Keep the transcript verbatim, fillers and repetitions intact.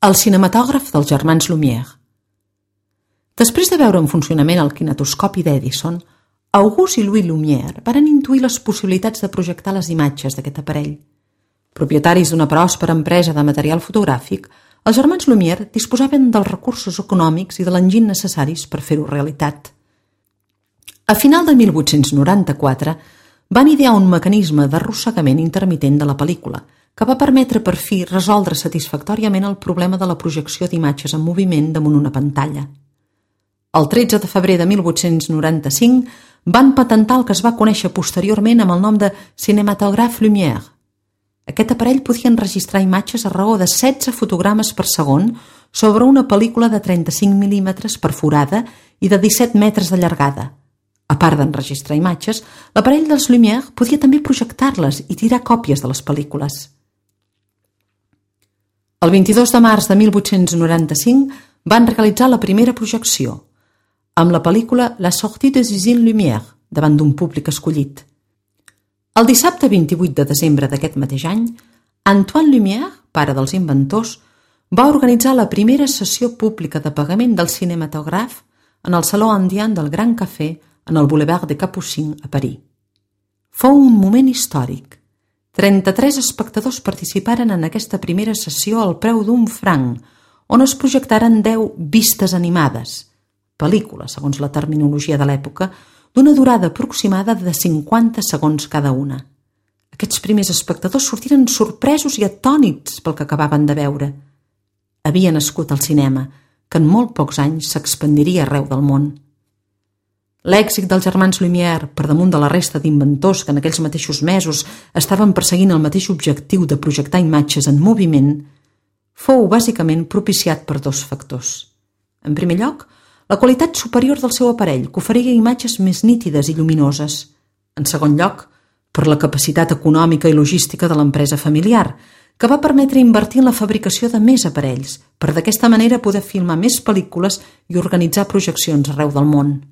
El cinematògraf dels germans Lumière. Després de veure en funcionament el kinetoscopi d'Edison, Auguste i Louis Lumière varen intuir les possibilitats de projectar les imatges d'aquest aparell. Propietaris d'una pròspera empresa de material fotogràfic, els germans Lumière disposaven dels recursos econòmics i de l'enginy necessaris per fer-ho realitat. A final de mil vuit-cents noranta-quatre van idear un mecanisme d'arrossegament intermitent de la pel·lícula, que va permetre per fi resoldre satisfactòriament el problema de la projecció d'imatges en moviment damunt una pantalla. El tretze de febrer de mil vuit-cents noranta-cinc van patentar el que es va conèixer posteriorment amb el nom de cinematògraf Lumière. Aquest aparell podia enregistrar imatges a raó de setze fotogrames per segon sobre una pel·lícula de trenta-cinc mil·límetres perforada i de disset metres de llargada. A part d'enregistrar imatges, l'aparell dels Lumière podia també projectar-les i tirar còpies de les pel·lícules. El vint-i-dos de març de mil vuit-cents noranta-cinc van realitzar la primera projecció, amb la pel·lícula La sortie des usines Lumière, davant d'un públic escollit. El dissabte vint-i-vuit de desembre d'aquest mateix any, Antoine Lumière, pare dels inventors, va organitzar la primera sessió pública de pagament del cinematògraf en el Saló Indien del Gran Cafè en el Boulevard de Capucines a París. Fou un moment històric. trenta-tres espectadors participaren en aquesta primera sessió al preu d'un franc, on es projectaren deu vistes animades, pel·lícules, segons la terminologia de l'època, d'una durada aproximada de cinquanta segons cada una. Aquests primers espectadors sortiren sorpresos i atònits pel que acabaven de veure. Havia nascut el cinema, que en molt pocs anys s'expandiria arreu del món. L'èxit dels germans Lumière, per damunt de la resta d'inventors que en aquells mateixos mesos estaven perseguint el mateix objectiu de projectar imatges en moviment, fou bàsicament propiciat per dos factors. En primer lloc, la qualitat superior del seu aparell, que oferia imatges més nítides i lluminoses. En segon lloc, per la capacitat econòmica i logística de l'empresa familiar, que va permetre invertir en la fabricació de més aparells, per d'aquesta manera poder filmar més pel·lícules i organitzar projeccions arreu del món.